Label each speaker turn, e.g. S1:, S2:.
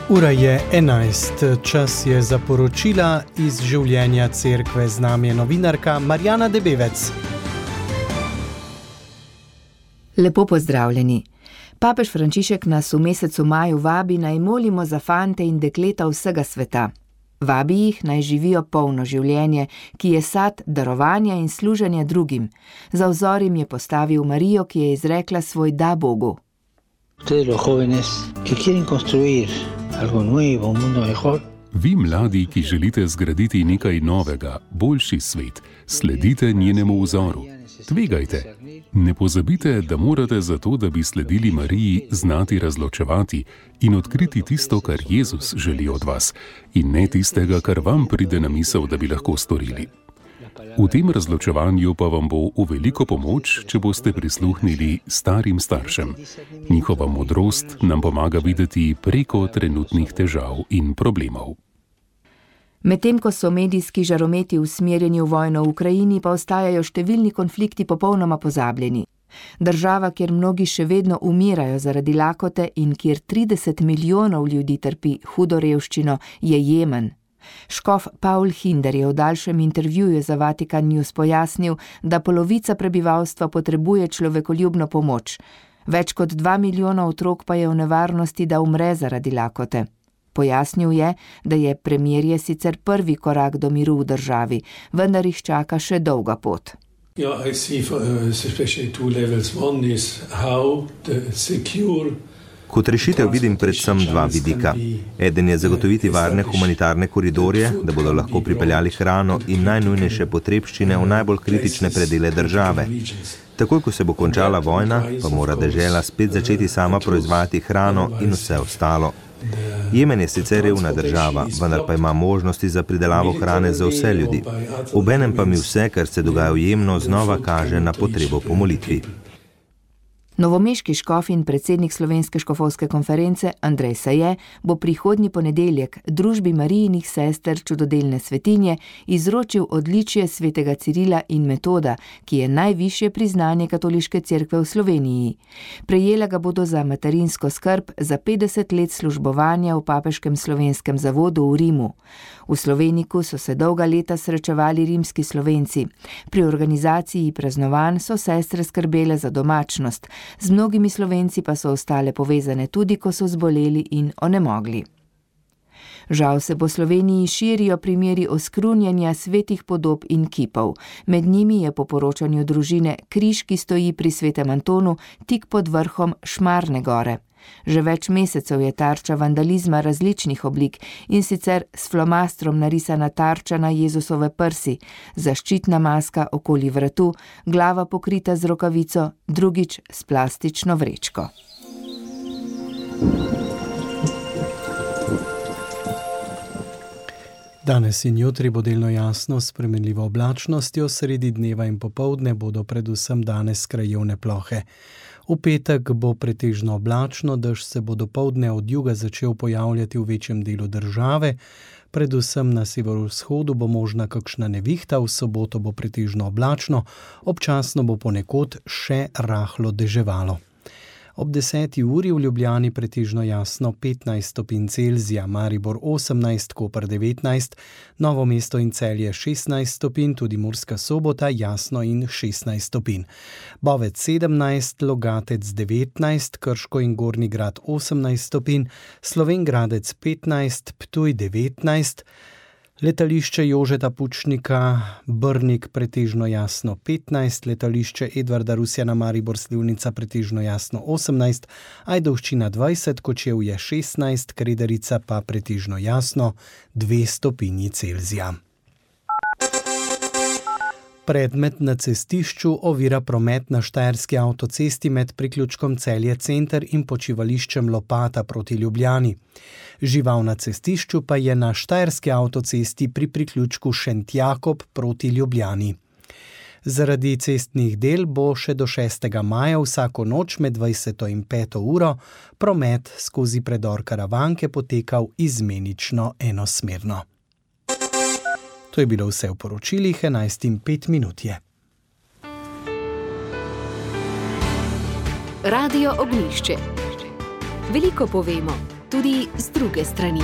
S1: Ura je 11, čas je za poročila iz življenja cerkve. Z nami je novinarka Marjana Debevec.
S2: Lepo pozdravljeni. Papež Frančišek nas v mesecu maju vabi, naj molimo za fante in dekleta vsega sveta. Vabi jih, naj živijo polno življenje, ki je sad darovanja in služenja drugim. Za vzor jim je postavil Marijo, ki je izrekla svoj da Bogu.
S3: Ustedes los jóvenes que quieren construir algo nuevo, un mundo mejor.
S4: Vi mladi, ki želite zgraditi nekaj novega, boljši svet, sledite njenemu vzoru. Tvegajte. Ne pozabite, da morate za to, da bi sledili Mariji, znati razločevati in odkriti tisto, kar Jezus želi od vas, in ne tistega, kar vam pride na misel, da bi lahko storili. V tem razločevanju pa vam bo v veliko pomoč, če boste prisluhnili starim staršem. Njihova modrost nam pomaga videti preko trenutnih težav in problemov.
S2: Medtem ko so medijski žarometi usmerjeni v vojno v Ukrajini, pa ostajajo številni konflikti popolnoma pozabljeni. Država, kjer mnogi še vedno umirajo zaradi lakote in kjer 30 milijonov ljudi trpi hudo revščino, je Jemen. Škof Paul Hinder je v daljšem intervjuju za Vatikan News pojasnil, da polovica prebivalstva potrebuje človekoljubno pomoč. Več kot 2 milijona otrok pa je v nevarnosti, da umre zaradi lakote. Pojasnil je, da je premirje sicer prvi korak do miru v državi, vendar jih čaka še dolga pot.
S5: I see especially two levels. One is how the secure.
S6: Kot rešitev vidim predvsem dva vidika. Eden je zagotoviti varne humanitarne koridorje, da bodo lahko pripeljali hrano in najnujnejše potrebščine v najbolj kritične predele države. Takoj, ko se bo končala vojna, pa mora dežela spet začeti sama proizvajati hrano in vse ostalo. Jemen je sicer revna država, vendar pa ima možnosti za pridelavo hrane za vse ljudi. Obenem pa mi vse, kar se dogaja v Jemnu, znova kaže na potrebo po molitvi.
S2: Novomeški škof in predsednik Slovenske škofovske konference Andrej Saje bo prihodnji ponedeljek družbi Marijinih sester čudodelne svetinje izročil odličje svetega Cirila in Metoda, ki je najvišje priznanje katoliške cerkve v Sloveniji. Prejela ga bodo za materinsko skrb za 50 let službovanja v papeškem slovenskem zavodu v Rimu. V Sloveniku so se dolga leta srečevali rimski Slovenci. Pri organizaciji praznovanj so sestre skrbele za domačnost. Z mnogimi Slovenci pa so ostale povezane tudi, ko so zboleli in onemogli. Žal se po Sloveniji širijo primeri oskrunjanja svetih podob in kipov. Med njimi je po poročanju družine križ, ki stoji pri Svetem Antonu tik pod vrhom Šmarne gore. Že več mesecev je tarča vandalizma različnih oblik, in sicer s flomastrom narisana tarča na Jezusove prsi, zaščitna maska okoli vratu, glava pokrita z rokavico, drugič s plastično vrečko.
S1: Danes in jutri bo delno jasno s spremenljivo oblačnostjo, sredi dneva in popoldne bodo predvsem danes krajevne plohe. V petek bo pretežno oblačno, dež se bo dopoldne od juga začel pojavljati v večjem delu države, predvsem na severovzhodu bo možna kakšna nevihta, v soboto bo pretežno oblačno, občasno bo ponekod še rahlo deževalo. Ob 10. uri v Ljubljani pretežno jasno 15 stopinj Celzija, Maribor 18, Koper 19, Novo mesto in Celje 16 stopinj, tudi Murska Sobota jasno in 16 stopinj. Bovec 17, Logatec 19, Krško in Gornji Grad 18 stopinj, Slovenj Gradec 15, Ptuj 19, letališče Jožeta Pučnika, Brnik pretežno jasno 15, letališče Edvarda Rusjana Maribor Slivnica pretežno jasno 18, Ajdovščina 20, Kočevje 16, Krederica pa pretežno jasno 2 stopinji Celzija. Predmet na cestišču ovira promet na štajerski avtocesti med priključkom Celje Center in počivališčem Lopata proti Ljubljani. Žival na cestišču pa je na štajerski avtocesti pri priključku Šentjakob proti Ljubljani. Zaradi cestnih del bo še do 6. maja vsako noč med 20. in 5. uro promet skozi predor Karavanke potekal izmenično enosmerno. To je bilo vse v poročilih, 11:05 je.
S7: Radio Ognjišče. Veliko povemo, tudi z druge strani.